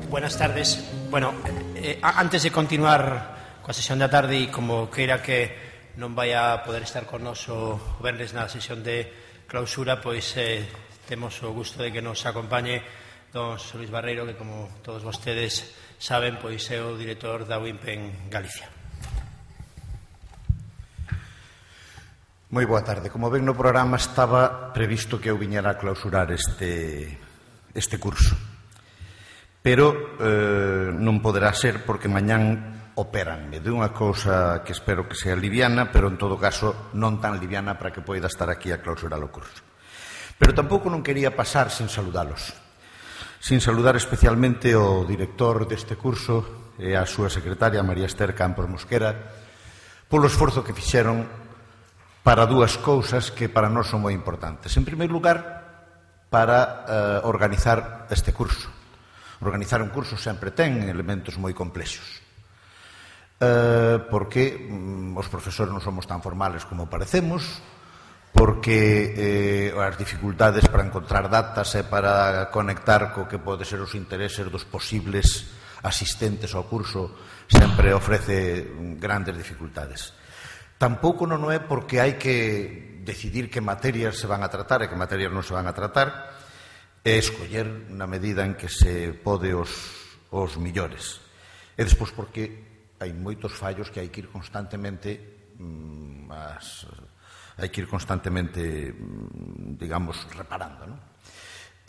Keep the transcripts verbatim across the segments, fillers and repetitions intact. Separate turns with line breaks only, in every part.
Buenas tardes. Bueno, eh, antes de continuar coa sesión da tarde, e como queira que non vai a poder estar con nos o venres na sesión de clausura, pois eh, temos o gusto de que nos acompañe don Xosé Luis Barreiro, que como todos vostedes saben, pois é o director da U I M P en Galicia.
Moi boa tarde. Como ven, no programa estaba previsto que eu viñera a clausurar este, este curso. Pero eh, non poderá ser porque mañán operanme de unha cousa que espero que sea liviana, pero en todo caso non tan liviana para que poida estar aquí a clausurar o curso. Pero tampouco non quería pasar sin saludalos. Sin saludar especialmente o director deste curso e a súa secretaria, María Ester Campos Mosquera, polo esforzo que fixeron para dúas cousas que para nós son moi importantes. En primeiro lugar, para eh, organizar este curso. Organizar un curso sempre ten elementos moi complexos, eh, porque mm, os profesores non somos tan formales como parecemos, porque eh, as dificultades para encontrar datas e para conectar co que pode ser os intereses dos posibles asistentes ao curso sempre ofrece grandes dificultades. Tampouco non é porque hai que decidir que materias se van a tratar e que materias non se van a tratar, e escoller na medida en que se pode os, os millores. E despois porque hai moitos fallos que hai que ir constantemente mm, as, hai que ir constantemente digamos, reparando, non?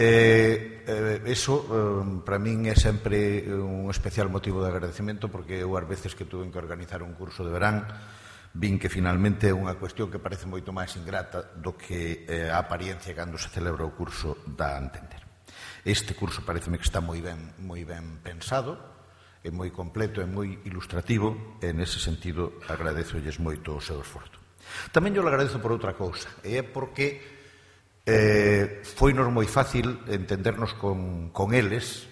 Eh, eh, eso eh, para min é sempre un especial motivo de agradecemento, porque eu ás veces que tuve que organizar un curso de verán vin que finalmente é unha cuestión que parece moito máis ingrata do que eh, a apariencia cando se celebra o curso dá a entender. Este curso pareceme que está moi ben, moi ben pensado, é moi completo, é moi ilustrativo, e nese sentido agradezolles moito o seu esforzo. Tamén yo le agradezo por outra cousa, e é porque eh, foinos moi fácil entendernos con, con eles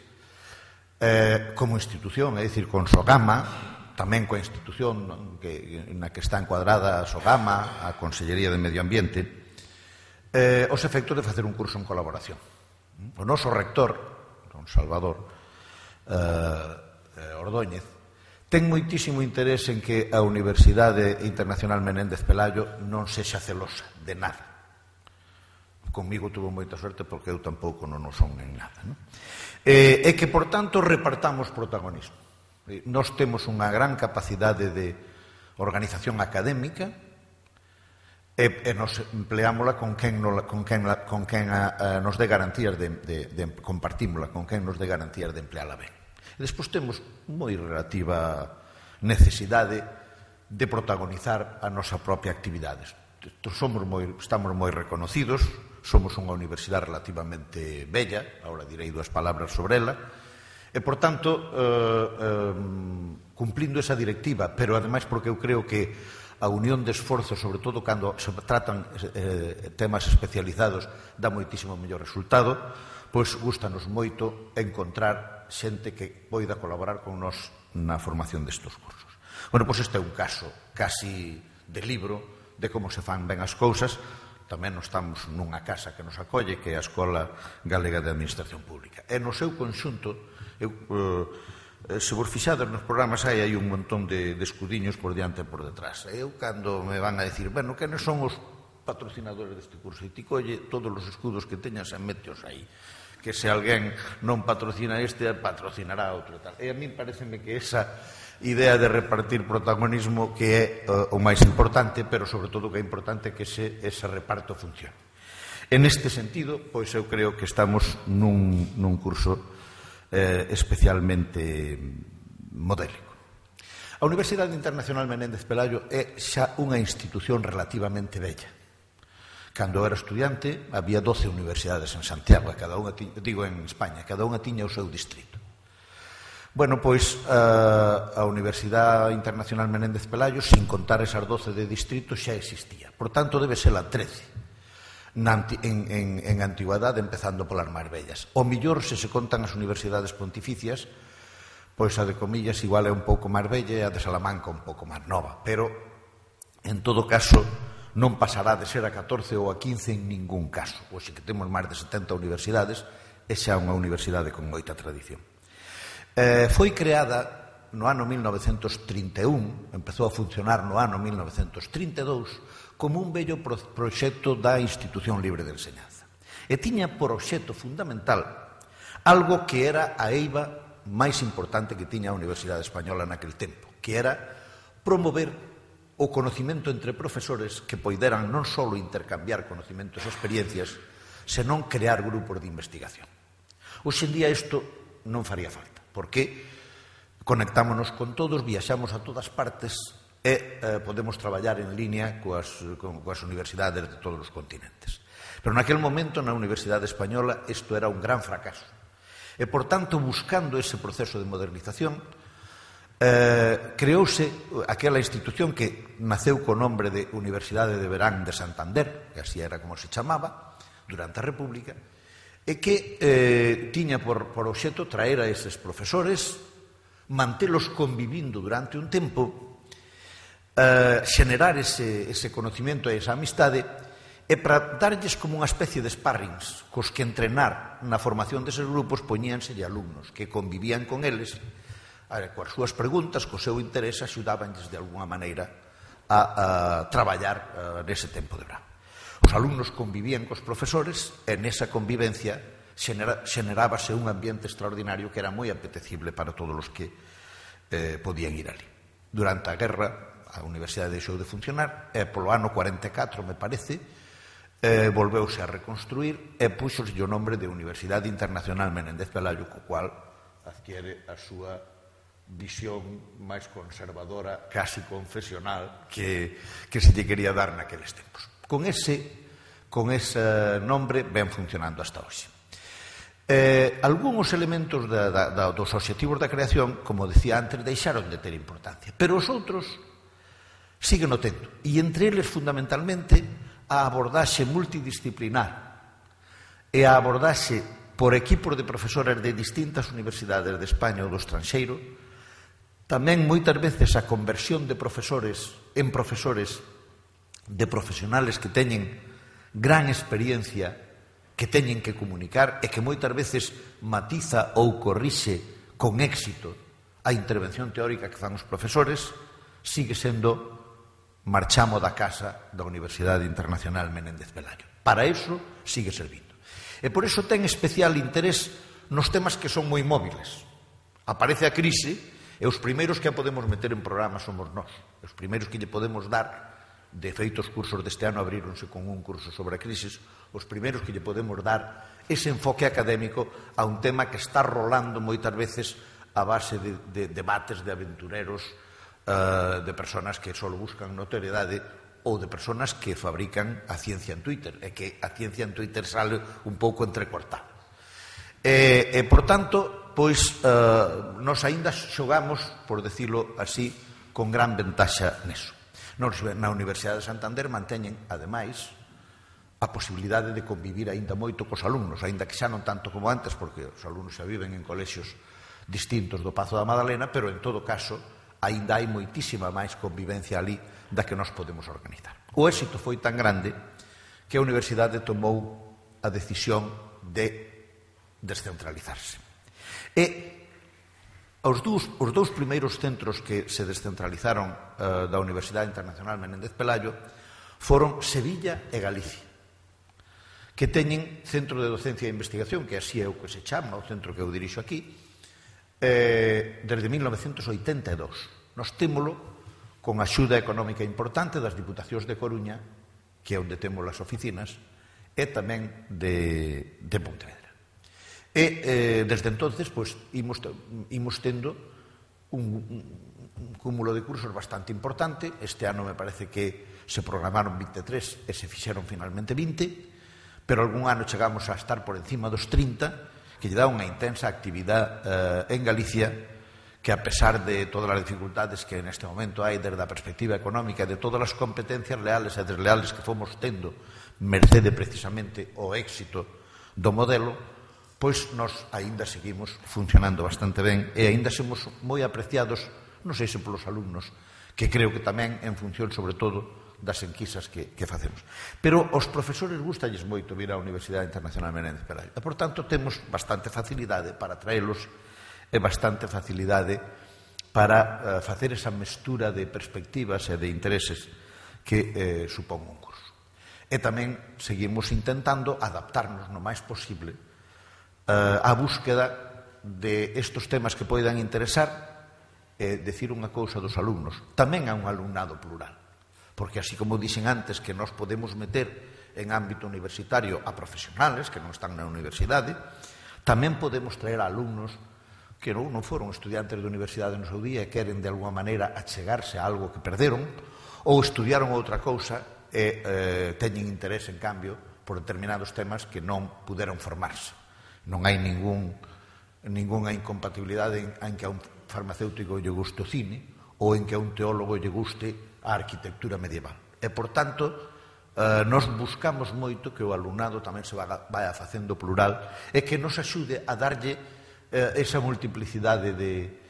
eh, como institución, é dicir, con Sogama, tamén coa institución que, na que está encuadrada a Sogama, a Consellería de Medio Ambiente, eh, os efectos de facer un curso en colaboración. O noso rector, don Salvador eh, Ordóñez, ten moitísimo interés en que a Universidade Internacional Menéndez Pelayo non sexa celosa de nada. Conmigo tuvo moita suerte porque eu tampouco non o son en nada, non? Eh, e que, por tanto, repartamos protagonismo. Nós temos unha gran capacidade de organización académica e, e nos empleámola con quen, no, con quen, con quen a, a, nos dé garantías de, de, de compartímola, con quen nos dé garantías de empleala ben. E despois temos moi relativa necesidade de protagonizar a nosa propia actividade. Somos moi, estamos moi reconocidos, somos unha universidade relativamente bella, agora direi dúas palabras sobre ela, e, por tanto, eh, eh, cumplindo esa directiva, pero, ademais, porque eu creo que a unión de esforzos, sobre todo cando se tratan eh, temas especializados, dá moitísimo mellor resultado, pois gustanos moito encontrar xente que poida colaborar con nós na formación destes cursos. Bueno, pois este é un caso casi de libro de como se fan ben as cousas. Tamén nos estamos nunha casa que nos acolle, que é a Escola Galega de Administración Pública. E no seu conxunto, eu, eh, se vos fixades nos programas hai, hai un montón de, de escudiños por diante e por detrás. Eu, cando me van a decir, bueno, quenes son os patrocinadores deste curso? E ti colle todos os escudos que teñas e meteos aí. Que se alguén non patrocina este, patrocinará outro e tal. E a mí pareceme que esa idea de repartir protagonismo que é uh, o máis importante, pero sobre todo que é importante que ese, ese reparto funcione. En este sentido, pois eu creo que estamos nun, nun curso eh, especialmente modélico. A Universidade Internacional Menéndez Pelayo é xa unha institución relativamente bella. Cando eu era estudiante, había doce universidades en Santiago, cada unha tiña, digo en España, cada unha tiña o seu distrito. Bueno, pois a, a Universidade Internacional Menéndez Pelayo, sin contar esas doce de distrito, xa existía. Por tanto, debe ser a trece na, en, en, en antigüedade, empezando polas máis bellas. O millor, se se contan as universidades pontificias, pois a de Comillas igual é un pouco máis bella e a de Salamanca un pouco máis nova. Pero, en todo caso, non pasará de ser a catorce ou a quince en ningún caso. Pois que temos máis de setenta universidades é xa unha universidade con moita tradición. Eh, foi creada no ano mil novecentos trinta e un, empezou a funcionar no ano mil novecentos trinta e dous, como un bello pro proxecto da Institución Libre de Enseñanza. E tiña por obxecto fundamental algo que era a eiva máis importante que tiña a Universidade Española naquel tempo, que era promover o conocimento entre profesores que poideran non só intercambiar conocimentos e experiencias, senón crear grupos de investigación. Hoxe en día isto non faría falta, porque conectámonos con todos, viaxamos a todas partes e eh, podemos traballar en línea coas, con, coas universidades de todos os continentes. Pero naquel momento, na Universidade Española, isto era un gran fracaso. E, por tanto, buscando ese proceso de modernización, eh, creouse aquela institución que naceu co nombre de Universidade de Verán de Santander, que así era como se chamaba, durante a República, e que eh, tiña por, por obxecto traer a eses profesores, mantelos convivindo durante un tempo, Uh, xenerar ese, ese conocimiento e esa amistade e para darlles como unha especie de sparrings cos que entrenar na formación deses grupos poñíanse alumnos que convivían con eles a, coas súas preguntas, co seu interés axudabanlles de alguna maneira a, a traballar a, nese tempo de verán. Os alumnos convivían cos profesores e nesa convivencia xenera, xenerábase un ambiente extraordinario que era moi apetecible para todos os que eh, podían ir ali. Durante a guerra a Universidade deixou de funcionar e polo ano cuarenta e catro, me parece, eh, volveuse a reconstruir e puxose o nombre de Universidade Internacional Menéndez Pelayo, co cual adquiere a súa visión máis conservadora, casi confesional, que, que se lle quería dar naqueles tempos. Con ese, con ese nombre ven funcionando hasta hoxe. Eh, algúns elementos da, da, da, dos obxectivos da creación, como decía antes, deixaron de ter importancia, pero os outros siguen o tendo, e entre eles fundamentalmente a abordaxe multidisciplinar e a abordaxe por equipos de profesores de distintas universidades de España ou do estranxeiro, tamén moitas veces a conversión de profesores en profesores de profesionales que teñen gran experiencia, que teñen que comunicar e que moitas veces matiza ou corrixe con éxito a intervención teórica que fan os profesores, sigue sendo marchamo da casa da Universidade Internacional Menéndez Pelayo. Para iso sigue servindo. E por iso ten especial interés nos temas que son moi móviles. Aparece a crise e os primeiros que a podemos meter en programa somos nós. Os primeiros que lle podemos dar, de feito os cursos deste ano abríronse con un curso sobre a crisis, os primeiros que lle podemos dar ese enfoque académico a un tema que está rolando moitas veces a base de, de debates de aventureros, Uh, de personas que só buscan notoriedade ou de personas que fabrican a ciencia en Twitter e que a ciencia en Twitter sale un pouco entrecortada. E, e por tanto, pois, uh, nos aínda xogamos, por decirlo así, con gran ventaxa neso. Nos, na Universidade de Santander manteñen, ademais, a posibilidade de convivir aínda moito cos alumnos, aínda que xa non tanto como antes, porque os alumnos xa viven en colexios distintos do Pazo da Madalena, pero en todo caso aínda hai moitísima máis convivencia ali da que nós podemos organizar. O éxito foi tan grande que a Universidade tomou a decisión de descentralizarse. E os dous, os dous primeiros centros que se descentralizaron uh, da Universidade Internacional Menéndez Pelayo foron Sevilla e Galicia, que teñen centro de docencia e investigación, que así é o que se chama, o centro que eu dirixo aquí, Eh, desde mil novecentos oitenta e dous. Nos témolo con axuda económica importante das Diputacións de Coruña, que é onde temos as oficinas, e tamén de, de Pontevedra. E eh, desde entonces pois, imos, imos tendo un, un cúmulo de cursos bastante importante. Este ano me parece que se programaron vinte e tres e se fixeron finalmente vinte, pero algún ano chegamos a estar por encima dos trinta, que lle dá unha intensa actividade eh, en Galicia, que a pesar de todas as dificultades que neste momento hai desde a perspectiva económica, de todas as competencias leales e desleales que fomos tendo mercede precisamente o éxito do modelo, pois nós aínda seguimos funcionando bastante ben e aínda somos moi apreciados, non sei se polos alumnos, que creo que tamén en función sobre todo das enquisas que, que facemos. Pero aos profesores gustalles moito vir á Universidade Internacional Menéndez Pelayo. E, por tanto, temos bastante facilidade para traelos e bastante facilidade para uh, facer esa mestura de perspectivas e de intereses que eh, supón un curso. E tamén seguimos intentando adaptarnos no máis posible uh, á búsqueda de estos temas que poidan interesar e decir unha cousa dos alumnos. Tamén há un alumnado plural, porque así como dixen antes que nos podemos meter en ámbito universitario a profesionales que non están na universidade, tamén podemos traer a alumnos que non, non foron estudiantes de universidade no seu día e queren de alguma maneira achegarse a algo que perderon ou estudiaron outra cousa e eh, teñen interés, en cambio, por determinados temas que non puderon formarse. Non hai ningún, ningunha incompatibilidade en, en que a un farmacéutico lle guste o cine ou en que a un teólogo lle guste a arquitectura medieval. E, por tanto, eh, nos buscamos moito que o alumnado tamén se vaya facendo plural e que nos axude a darlle eh, esa multiplicidade de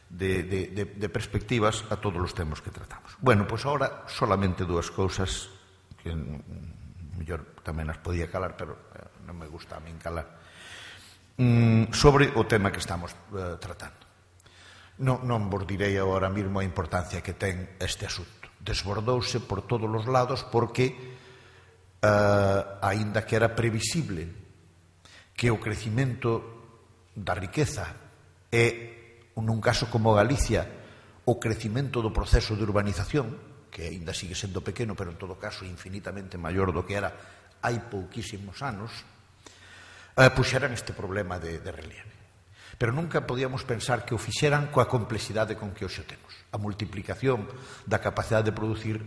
De, de, de, de perspectivas a todos os temas que tratamos. Bueno, pois pues agora solamente dúas cousas que mellor tamén as podía calar, pero eh, non me gusta a min calar, mm, sobre o tema que estamos eh, tratando. Non, non vos direi agora mesmo a importancia que ten este asunto. Desbordouse por todos os lados porque eh, aínda que era previsible que o crecimento da riqueza e nun caso como Galicia, o crecimento do proceso de urbanización, que ainda sigue sendo pequeno, pero en todo caso infinitamente maior do que era hai pouquísimos anos, eh, puxeran este problema de, de relieve. Pero nunca podíamos pensar que o fixeran coa complexidade con que hoxe temos. A multiplicación da capacidade de producir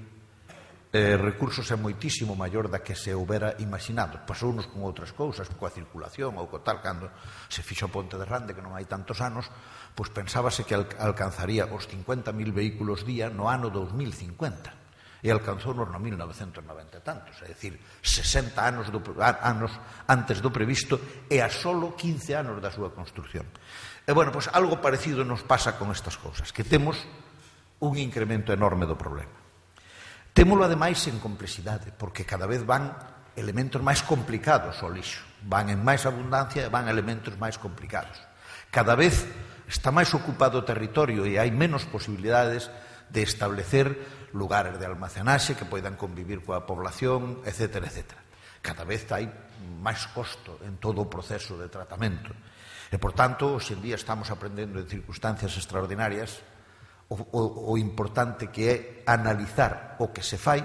eh, recursos é moitísimo maior da que se houbera imaginado. Pasounos con outras cousas, coa circulación ou co tal, cando se fixo a Ponte de Rande, que non hai tantos anos, pois pensábase que alcanzaría os cincuenta mil vehículos día no ano dos mil cincuenta. E alcanzounos no mil novecentos e noventa e tantos, é dicir, sesenta anos, do, anos antes do previsto e a solo quince anos da súa construcción. E, bueno, pois algo parecido nos pasa con estas cousas, que temos un incremento enorme do problema. Témolo, ademais, en complexidade, porque cada vez van elementos máis complicados ao lixo. Van en máis abundancia e van elementos máis complicados. Cada vez está máis ocupado o territorio e hai menos posibilidades de establecer lugares de almacenaxe que poidan convivir coa población, etcétera, etcétera. Cada vez hai máis costo en todo o proceso de tratamento. E, por tanto, hoxe en día estamos aprendendo en circunstancias extraordinarias o, o, o importante que é analizar o que se fai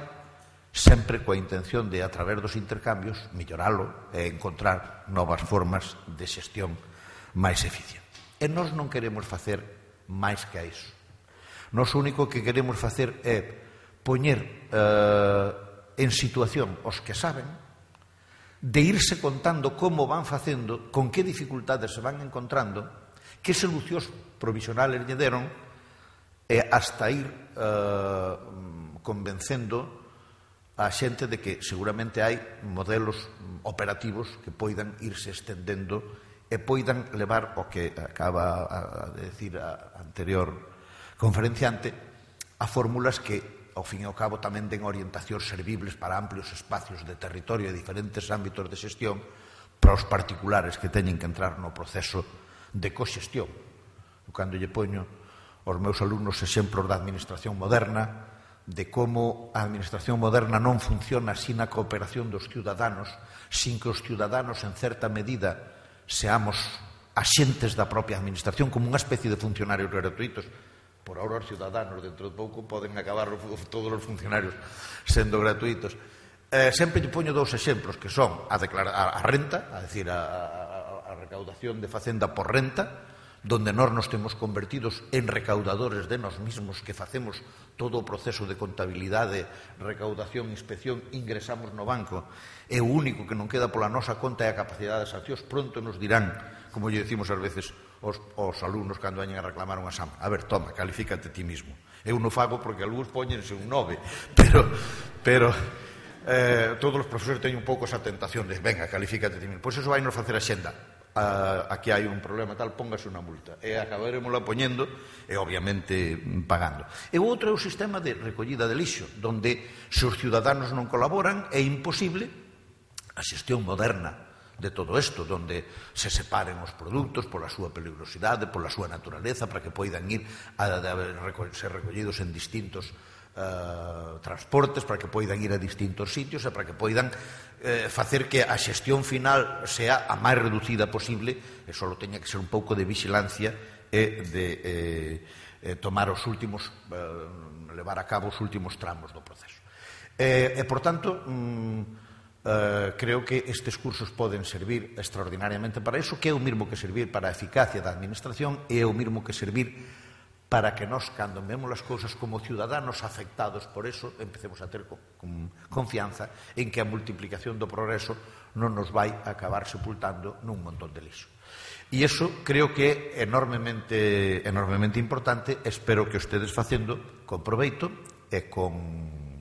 sempre coa intención de, a través dos intercambios, melloralo e encontrar novas formas de xestión máis eficiente. E nós non queremos facer máis que a iso. Nós o único que queremos facer é poñer eh, en situación os que saben de irse contando como van facendo, con que dificultades se van encontrando, que solucións provisionales lle deron e hasta ir eh, convencendo a xente de que seguramente hai modelos operativos que poidan irse estendendo e poidan levar o que acaba de decir a anterior conferenciante a fórmulas que, ao fin e ao cabo, tamén den orientacións servibles para amplios espacios de territorio e diferentes ámbitos de xestión para os particulares que teñen que entrar no proceso de coxestión. Cando lle poño aos meus alumnos exemplos da administración moderna, de como a administración moderna non funciona sin a cooperación dos ciudadanos, sin que os ciudadanos, en certa medida, seamos axentes da propia administración, como unha especie de funcionarios gratuitos. Por ahora os ciudadanos, dentro de pouco, poden acabar todos os funcionarios sendo gratuitos. Eh, sempre lle poño dous exemplos, que son a, declara, a renta, a decir, a, a, a recaudación de facenda por renta, donde nós nos temos convertidos en recaudadores de nós mismos, que facemos todo o proceso de contabilidade, recaudación, inspección, ingresamos no banco, e o único que non queda pola nosa conta é a capacidade de sancións. Pronto nos dirán, como lle decimos ás veces os, os alumnos cando vayan a reclamar un exame, a ver, toma, califícate ti mismo. Eu non fago porque algúns poñense un nove, pero, pero eh, todos os profesores teñen un pouco esa tentación de, venga, califícate ti mismo. Pois iso vai nos facer a xenda. a, aquí hai un problema tal, póngase unha multa. E acabaremosla poñendo e, obviamente, pagando. E o outro é o sistema de recollida de lixo, donde se os ciudadanos non colaboran é imposible a xestión moderna de todo isto, donde se separen os produtos pola súa peligrosidade, pola súa naturaleza, para que poidan ir a, a, a ser recollidos en distintos uh, transportes, para que poidan ir a distintos sitios e para que poidan eh, facer que a xestión final sea a máis reducida posible e só teña que ser un pouco de vigilancia e de eh, eh, tomar os últimos, eh, levar a cabo os últimos tramos do proceso. E, e por tanto, mm, Uh, creo que estes cursos poden servir extraordinariamente para iso, que é o mesmo que servir para a eficacia da administración e é o mesmo que servir para que nós, cando vemos as cousas como ciudadanos afectados por eso, empecemos a ter con, con confianza en que a multiplicación do progreso non nos vai acabar sepultando nun montón de lixo. E iso creo que é enormemente, enormemente importante. Espero que ustedes facendo con proveito e con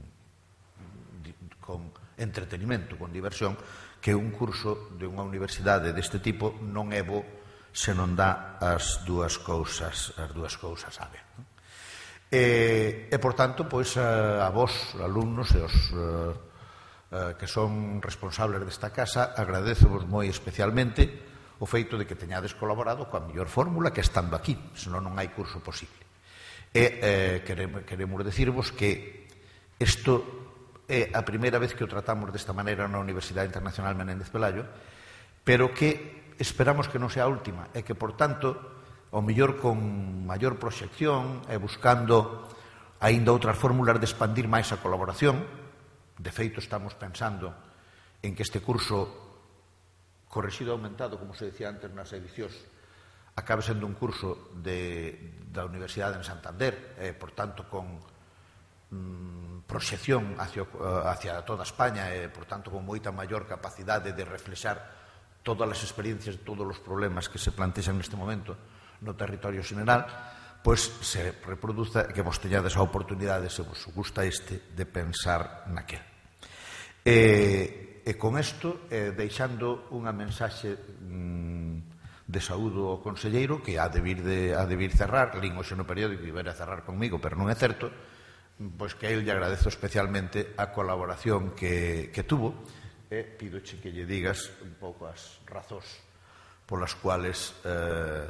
con entretenimento, con diversión, que un curso de unha universidade deste tipo non é bo se non dá as dúas cousas, as dúas cousas a ver. E, e por tanto, pois, a, a vos, alumnos e os uh, uh, que son responsables desta casa, agradecevos moi especialmente o feito de que teñades colaborado coa mellor fórmula que estando aquí, senón non hai curso posible. E eh, queremos, queremos decirvos que isto é a primeira vez que o tratamos desta maneira na Universidade Internacional Menéndez Pelayo, pero que esperamos que non sea a última, e que, por tanto, ao mellor con maior proxección e buscando aínda outras fórmulas de expandir máis a colaboración. De feito, estamos pensando en que este curso correxido e aumentado, como se decía antes nas edicións, acabe sendo un curso de, da Universidade en Santander, e, por tanto, con proxección hacia, hacia toda España e, por tanto, con moita maior capacidade de reflexar todas as experiencias, todos os problemas que se plantexan neste momento no territorio xeneral, pois se reproduza e que vos teñades a oportunidade, se vos gusta este, de pensar naquel. E, e con isto, eh, deixando unha mensaxe mm, de saúdo ao conselleiro, que ha de vir, de, ha de vir cerrar, lín hoxe no periódico e ver a cerrar conmigo, pero non é certo, pois que a ele lle agradezo especialmente a colaboración que, que tuvo, e pídoche que lle digas un pouco as razóns polas cuales eh,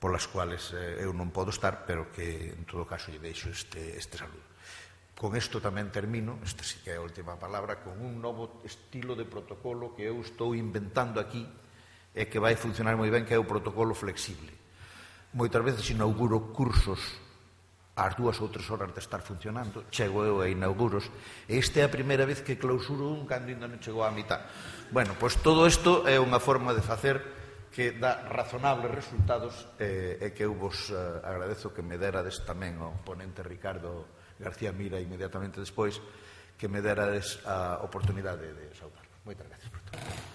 polas cuales eh, eu non podo estar, pero que en todo caso lle deixo este, este saludo. Con isto tamén termino, esta sí que é a última palabra, con un novo estilo de protocolo que eu estou inventando aquí e que vai funcionar moi ben, que é o protocolo flexible. Moitas veces inauguro cursos ás dúas ou tres horas de estar funcionando, chego eu e inauguros, e esta é a primeira vez que clausuro un cando ainda non chegou á mitad. Bueno, pois todo isto é unha forma de facer que dá razonables resultados e, e que eu vos uh, agradezo que me derades tamén ao ponente Ricardo García Mira inmediatamente despois, que me derades a oportunidade de saudar. Moitas gracias por todo.